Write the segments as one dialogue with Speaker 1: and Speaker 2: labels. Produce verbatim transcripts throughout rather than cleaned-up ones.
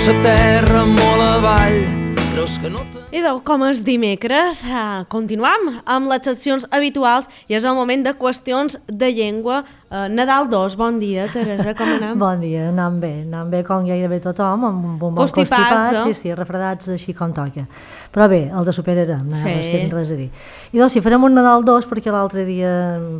Speaker 1: sa terra molt avall. Creus que no te...
Speaker 2: Idò, com és dimecres, eh, continuam amb les seccions habituals i és el moment de qüestions de llengua. Eh, Nadal dos, bon dia, Teresa, com anem?
Speaker 3: Bon dia, anam bé, anam bé com gairebé tothom, amb un bon
Speaker 2: Constipats,
Speaker 3: constipat,
Speaker 2: eh?
Speaker 3: sí, sí, refredats així com toca. Però bé, els de superarem, no,
Speaker 2: Sí.
Speaker 3: sí. Tinc res a dir. I doncs, si farem un Nadal dos, perquè l'altre dia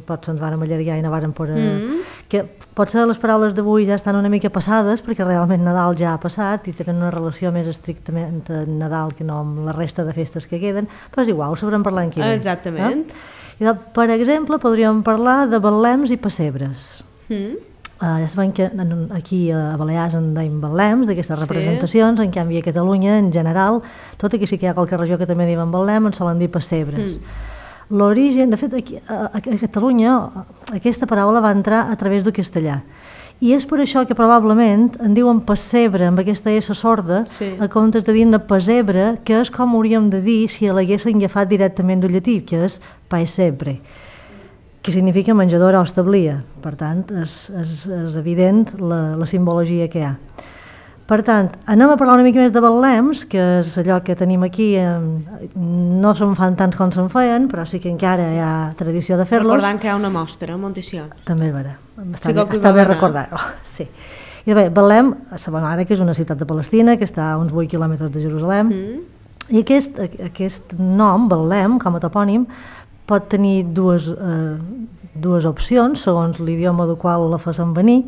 Speaker 3: potser ens vàrem allargar i no vàrem poder...
Speaker 2: Mm.
Speaker 3: Que potser les paraules d'avui ja estan una mica passades, perquè realment Nadal ja ha passat i tenen una relació més estrictament amb Nadal que no amb la resta de festes que queden, però és igual, ho sabrem parlar en qui ve.
Speaker 2: Exactament.
Speaker 3: Eh? I doncs, per exemple, podríem parlar de betlems i pessebres.
Speaker 2: Mm.
Speaker 3: Uh, ja sabem que en, aquí a Balears en deim betlems, d'aquestes representacions, sí. En canvi a Catalunya, en general, tot aquí sí que hi ha qualque regió que també diuen betlem, en solen dir pessebres. Mm. L'origen, de fet, aquí, a, a Catalunya aquesta paraula va entrar a través del castellà. I és per això que probablement en diuen pessebre amb aquesta S sorda,
Speaker 2: Sí.
Speaker 3: a comptes de dir-ne pessebre, que és com hauríem de dir si l'haguessin agafat directament del llatí, que és paesebre, que significa menjadora o establia. Per tant, és, és, és evident la, la simbologia que hi ha. Per tant, anem a parlar una mica més de betlems, que és allò que tenim aquí, eh, no se'n fan tants com se'n feien, però sí que encara hi ha tradició de fer-los.
Speaker 2: Recordant que hi ha una mostra a Montessió.
Speaker 3: També és vera, està,
Speaker 2: Sí,
Speaker 3: bé,
Speaker 2: que
Speaker 3: està
Speaker 2: hi
Speaker 3: bé
Speaker 2: va anar.
Speaker 3: recordar-ho. Sí. I bé, Betlem, sabem ara que és una ciutat de Palestina, que està a uns vuit quilòmetres de Jerusalem,
Speaker 2: Mm.
Speaker 3: i aquest, aquest nom, Betlem, com a topònim, pot tenir dues, eh, dues opcions, segons l'idioma del qual la facin venir.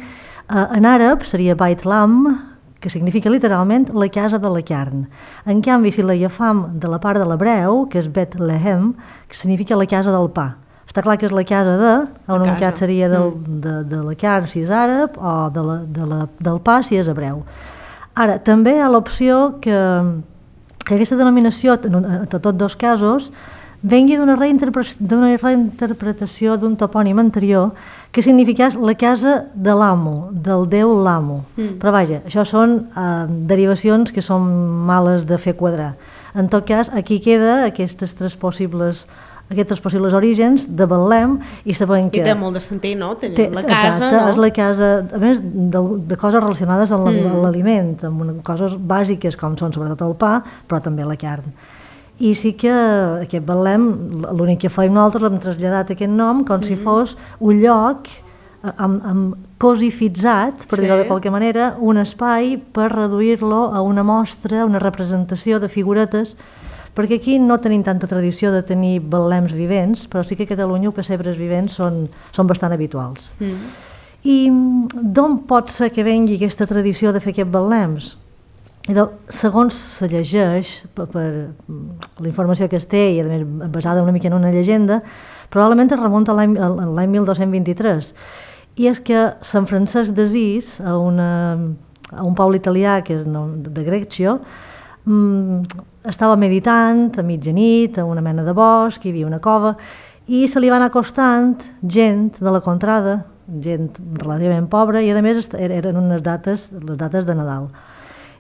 Speaker 3: Eh, en àrab seria Bait Lam, que significa literalment la casa de la carn. En canvi, si l'agafam de la part de l'hebreu, que és Bet Lehem, que significa la casa del pa. Està clar que és la casa de, on un cat seria del, de, de la carn si és àrab, o de la, de la, del pa si és hebreu. Ara, també hi ha l'opció que, que aquesta denominació, en, en tots dos casos, vengui d'una reinterpretació, reinterpretació d'un topònim anterior que significés la casa de l'amo, del déu l'amo. Mm. Però vaja, això són eh, derivacions que són males de fer quadrar. En tot cas, aquí queda aquestes tres possibles aquests tres possibles orígens de Betlem i sabem que...
Speaker 2: I té molt de sentit, no? Té,
Speaker 3: té,
Speaker 2: la casa,
Speaker 3: exacte,
Speaker 2: no?
Speaker 3: És la casa, a més, de, de coses relacionades amb
Speaker 2: Mm.
Speaker 3: l'aliment, amb una, coses bàsiques com són sobretot el pa, però també la carn. I sí que aquest Betlem, l'únic que fèiem nosaltres, l'hem traslladat aquest nom com mm. si fos un lloc amb, amb cosifitzat, per
Speaker 2: Sí.
Speaker 3: dir-ho de qualque manera, un espai per reduir-lo a una mostra, una representació de figuretes, perquè aquí no tenim tanta tradició de tenir betlems vivents, però sí que a Catalunya els pessebres vivents són, són bastant habituals.
Speaker 2: Mm.
Speaker 3: I d'on pot ser que vengui aquesta tradició de fer aquests betlems? I de, segons se llegeix, per, per la informació que es té, i a més basada una mica en una llegenda, probablement es remunta a l'any l'any mil dos-cents vint-i-tres. I és que Sant Francesc d'Assís, a, una, a un poble italià que és de Greccio, estava meditant a mitjanit, a una mena de bosc, hi havia una cova, i se li va anar acostant gent de la contrada, gent relativament pobra, i a més eren unes dates, les dates de Nadal.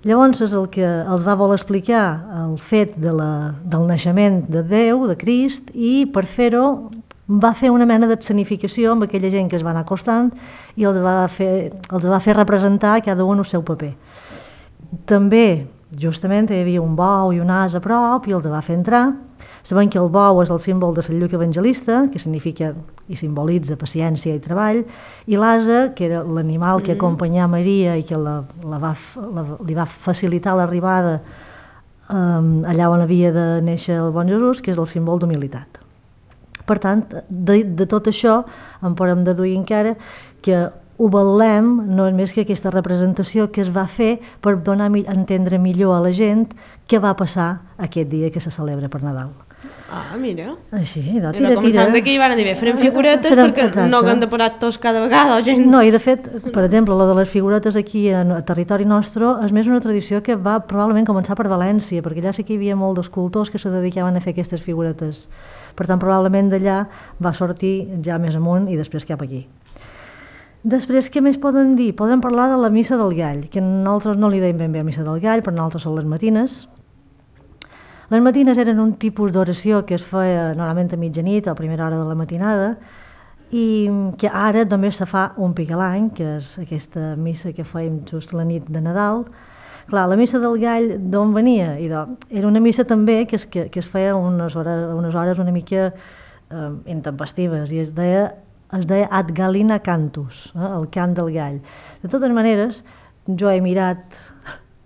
Speaker 3: Llavors és el que els va voler explicar el fet de la, del naixement de Déu, de Crist, i per fer-ho va fer una mena d'escenificació amb aquella gent que es va anar acostant i els va fer, els va fer representar cada un el seu paper. També justament hi havia un bou i un as a prop i els va fer entrar. Sabem que el bou és el símbol de Sant Lluc Evangelista, que significa i simbolitza paciència i treball, i l'ase, que era l'animal que acompanyà Maria i que la, la va, la, li va facilitar l'arribada um, allà on havia de néixer el bon Jesús, que és el símbol d'humilitat. Per tant, de, de tot això en podem deduir encara que ho Betlem no és més que aquesta representació que es va fer per donar a entendre millor a la gent què va passar aquest dia que se celebra per Nadal.
Speaker 2: Ah, mira.
Speaker 3: Així, de tira,
Speaker 2: Era començant
Speaker 3: tira.
Speaker 2: d'aquí van dir, bé, farem figuretes
Speaker 3: Farem-
Speaker 2: perquè
Speaker 3: exacte.
Speaker 2: no haguem de parar tots cada vegada o gent...
Speaker 3: No, i de fet, per exemple, la de les figuretes aquí en a territori nostre és més una tradició que va probablement començar per València, perquè allà sí que hi havia molts d'escultors que se dedicaven a fer aquestes figuretes. Per tant, probablement d'allà va sortir ja més amunt i després cap aquí. Després, què més poden dir? Poden parlar de la missa del gall, que nosaltres no li deim ben bé a missa del gall, però nosaltres són les matines. Les matines eren un tipus d'oració que es feia normalment a mitjanit o a primera hora de la matinada i que ara només se fa un pic a l'any, que és aquesta missa que fèiem just la nit de Nadal, Clar, la missa del gall d'on venia? I de, era una missa també que es, que, que es feia unes hores, unes hores una mica eh, intempestives i es deia, es deia Ad Gallina Cantus, eh, el cant del gall. De totes maneres, jo he mirat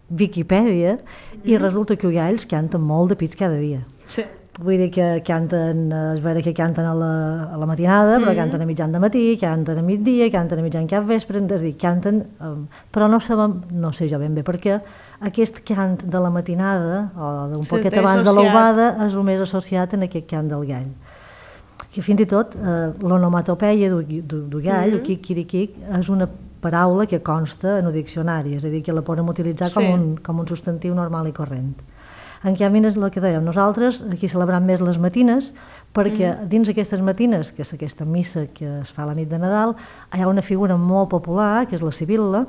Speaker 3: Viquipèdia i resulta que els galls canten molt de pits cada dia.
Speaker 2: Sí.
Speaker 3: Vull dir que canten, és vera que canten a la, a la matinada, però
Speaker 2: Mm-hmm.
Speaker 3: canten a mitjan de matí, canten a migdia, canten a mitjan cap vespre, és a dir, canten, um, però no sabem, no sé jo ben bé per què, aquest cant de la matinada, o d'un
Speaker 2: Sí,
Speaker 3: poquet
Speaker 2: té
Speaker 3: abans de
Speaker 2: associat.
Speaker 3: l'albada, és el més associat en aquest cant del gall. Que fins i tot eh, l'onomatopeia du, du, du gall,
Speaker 2: Mm-hmm.
Speaker 3: o quic-quiriquic, és una paraula que consta en el diccionari, és a dir, que la podem utilitzar com,
Speaker 2: Sí.
Speaker 3: un, com un substantiu normal i corrent. En canvi, és el que dèiem, nosaltres aquí celebrem més les matines, perquè mm. dins aquestes matines, que és aquesta missa que es fa la nit de Nadal, hi ha una figura molt popular, que és la Sibil·la.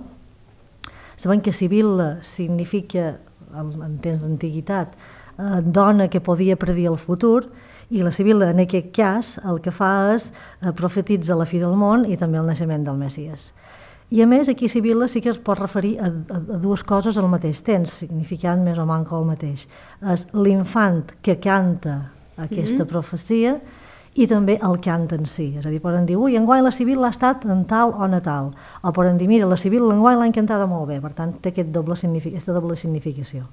Speaker 3: Sabem que Sibil·la significa, en, en temps d'antiguitat, eh, dona que podia predir el futur, i la Sibil·la, en aquest cas, el que fa és eh, profetitza la fi del món i també el naixement del Messies. I a més, aquí Sibil·la sí que es pot referir a, a, a dues coses al mateix temps, significant més o manco el mateix. És l'infant que canta aquesta mm-hmm. profecia i també el cant en si. És a dir, poden dir, ui, enguany la Sibil·la ha estat en tal o natal. O poden dir, mira, la Sibil·la enguany l'ha encantada molt bé. Per tant, té aquest doble signific aquesta doble significació.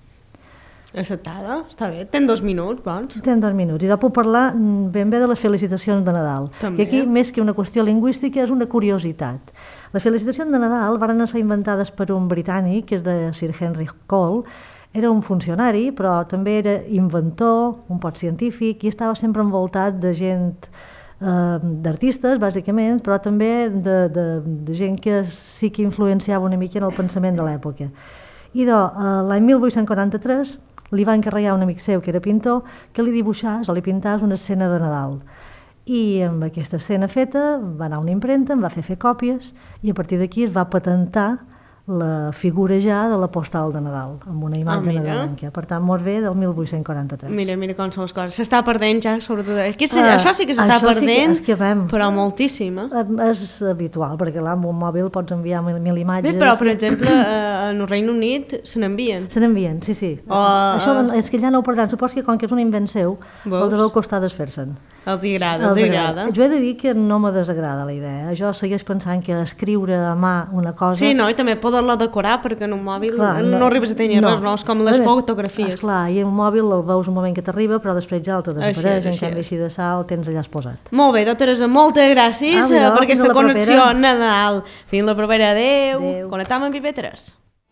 Speaker 2: Acceptada, està bé. Ten dos minuts, bons.
Speaker 3: Tenen dos minuts. I de puc parlar ben bé de les felicitacions de Nadal.
Speaker 2: També.
Speaker 3: Que aquí, més que una qüestió lingüística, és una curiositat. Les felicitacions de Nadal van ser inventades per un britànic, que és de Sir Henry Cole. Era un funcionari, però també era inventor, un pot científic, i estava sempre envoltat de gent, eh, d'artistes, bàsicament, però també de, de, de gent que sí que influenciava una mica en el pensament de l'època. I de, eh, l'any mil vuit-cents quaranta-tres li va encarregar un amic seu, que era pintor, que li dibuixés o li pintàs una escena de Nadal. I amb aquesta escena feta va anar a una impremta, en va fer fer còpies i a partir d'aquí es va patentar la figura ja de la postal de Nadal, amb una imatge
Speaker 2: Ah, mira.
Speaker 3: nadalenca. Per tant, molt bé del mil vuit-cents quaranta-tres.
Speaker 2: Mira, mira com són les coses. S'està perdent ja, sobretot. Aquí,
Speaker 3: Ah,
Speaker 2: això sí que s'està
Speaker 3: això sí que-
Speaker 2: perdent,
Speaker 3: és que vam.
Speaker 2: però moltíssim. Eh?
Speaker 3: Eh, És habitual, perquè clar, amb un mòbil pots enviar mil, mil imatges.
Speaker 2: Bé, però, per exemple, eh, en el Regne Unit se n'envien.
Speaker 3: Se n'envien, sí, sí.
Speaker 2: O,
Speaker 3: Això
Speaker 2: eh,
Speaker 3: és que ja no ho perdran. Supos que com que és un invent seu,
Speaker 2: Veus?
Speaker 3: els deu costar desfer-se'n.
Speaker 2: Els hi agrada, els hi agrada.
Speaker 3: Jo he de dir que no me desagrada la idea. Jo segueix pensant que escriure a mà una cosa...
Speaker 2: Sí, no, i també poder-la decorar, perquè en un mòbil
Speaker 3: Clar,
Speaker 2: no, no arribes a tenir res, no? És com les
Speaker 3: A més,
Speaker 2: fotografies.
Speaker 3: Esclar, i en un mòbil el veus un moment que t'arriba, però després ja el te
Speaker 2: Així
Speaker 3: desapareix,
Speaker 2: és,
Speaker 3: en
Speaker 2: així
Speaker 3: canvi
Speaker 2: és.
Speaker 3: així de sal el tens allà exposat.
Speaker 2: Molt bé, doctora Teresa, moltes gràcies
Speaker 3: Ah, mira,
Speaker 2: eh, per
Speaker 3: fins
Speaker 2: aquesta
Speaker 3: la
Speaker 2: connexió
Speaker 3: propera.
Speaker 2: Nadal. Fins la propera, adeu.
Speaker 3: Adéu.
Speaker 2: Connectam amb I P tres.